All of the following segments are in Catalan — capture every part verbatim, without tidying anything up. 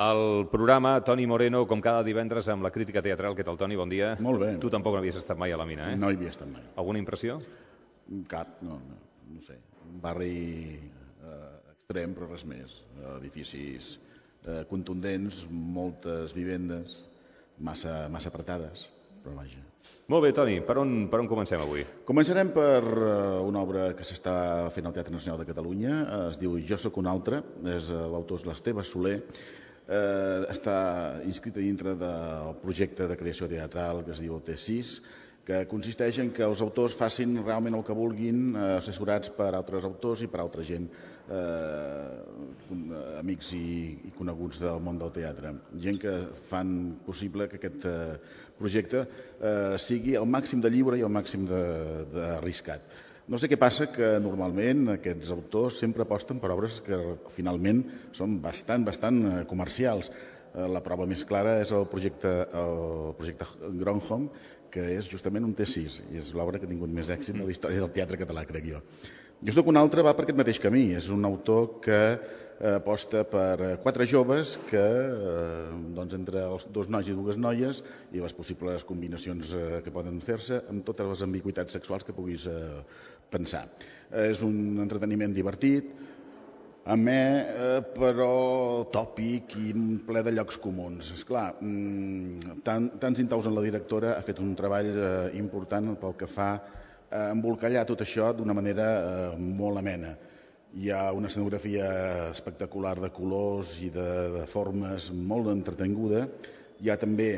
El programa Toni Moreno, com cada divendres, amb la crítica teatral. Què tal, Toni? Bon dia. Molt bé. Tu tampoc no havies estat mai a la mina, eh? No hi havia estat mai. Alguna impressió? Cap, no, no, no sé. Un barri eh, extrem, però res més. Edificis eh, contundents, moltes vivendes, massa, massa apretades, però vaja. Molt bé, Toni, per on, per on comencem avui? Començarem per uh, una obra que s'està fent al Teatre Nacional de Catalunya, uh, es diu Jo sóc un altre, és uh, l'autor és l'Esteve Soler, uh, està inscrita dintre del projecte de creació teatral que es diu T sis, que consisteix en que els autors facin realment el que vulguin, eh, assessorats per altres autors i per altra gent, eh, amics i, i coneguts del món del teatre. Gent que fan possible que aquest eh, projecte eh, sigui el màxim de lliure i el màxim d'arriscat. No sé què passa, que normalment aquests autors sempre aposten per obres que finalment són bastant, bastant comercials. La prova més clara és el projecte, el projecte Gronholm, que és justament un T sis, i és l'obra que ha tingut més èxit en la història del teatre català, crec jo. Jo sóc un altre, va per aquest mateix camí. És un autor que eh, aposta per quatre joves que, eh, doncs, entre els dos nois i dues noies, i les possibles combinacions eh, que poden fer-se, amb totes les ambigüitats sexuals que puguis eh, pensar. Eh, és un entreteniment divertit, amè, eh, però tòpic i ple de llocs comuns. Esclar, mmm, tant, tants intaus en la directora ha fet un treball eh, important pel que fa a embolcallar tot això d'una manera eh, molt amena. Hi ha una escenografia espectacular de colors i de, de formes molt entretinguda. Hi ha també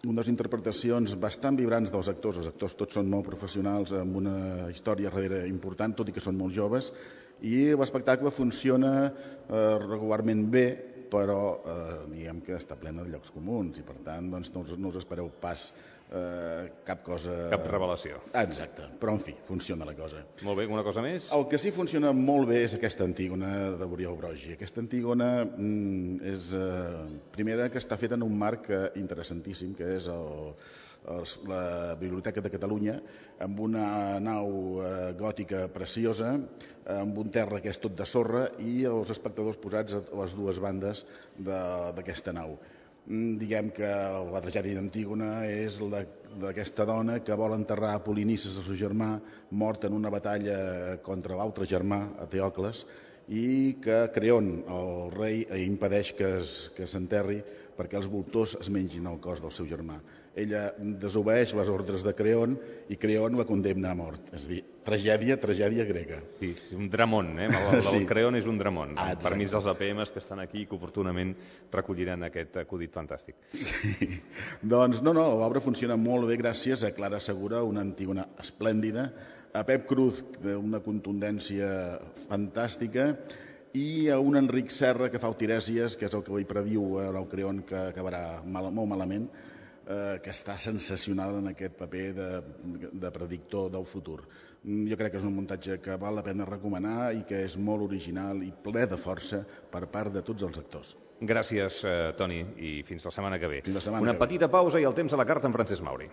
unes interpretacions bastant vibrants dels actors. Els actors tots són molt professionals, amb una història darrere important, tot i que són molt joves, i l'espectacle funciona eh, regularment bé, però eh, diguem que està plena de llocs comuns i per tant doncs, no, us, no us espereu pas eh, cap cosa... Cap revelació. Exacte, però en fi, funciona la cosa. Molt bé, alguna cosa més? El que sí funciona molt bé és aquesta Antígona de Oriol Brogi. Aquesta Antígona mm, és eh, primera que està feta en un marc eh, interessantíssim, que és el, el, la Biblioteca de Catalunya, amb una nau eh, gòtica preciosa, amb un terra que és tot de sorra i els espectadors posats a les dues bandes d'aquesta nau. Diguem que la tragèdia d'Antígona és la d'aquesta dona que vol enterrar a Polinices, el seu germà, mort en una batalla contra l'altre germà, Teocles, i que Creon, el rei, impedeix que s'enterri perquè els voltors es mengin el cos del seu germà. Ella desobeeix les ordres de Creon i Creon la condemna a mort. És a dir, tragèdia, tragèdia grega. Sí, un dramón, eh? El, el sí. Creon és un dramón. Ah, permís dels A P Ms que estan aquí i que oportunament recolliran aquest acudit fantàstic. Sí. Doncs no, no, l'obra funciona molt bé gràcies a Clara Segura, una Antígona esplèndida, a Pep Cruz, d'una contundència fantàstica, i a un Enric Serra que fa el Tirèsies, que és el que li prediu el Creon, que acabarà mal, molt malament, eh, que està sensacional en aquest paper de, de predictor del futur. Jo crec que és un muntatge que val la pena recomanar i que és molt original i ple de força per part de tots els actors. Gràcies, eh, Toni, i fins la setmana que ve. Fins la setmana Una que ve. petita pausa i el temps a la carta amb Francesc Mauri.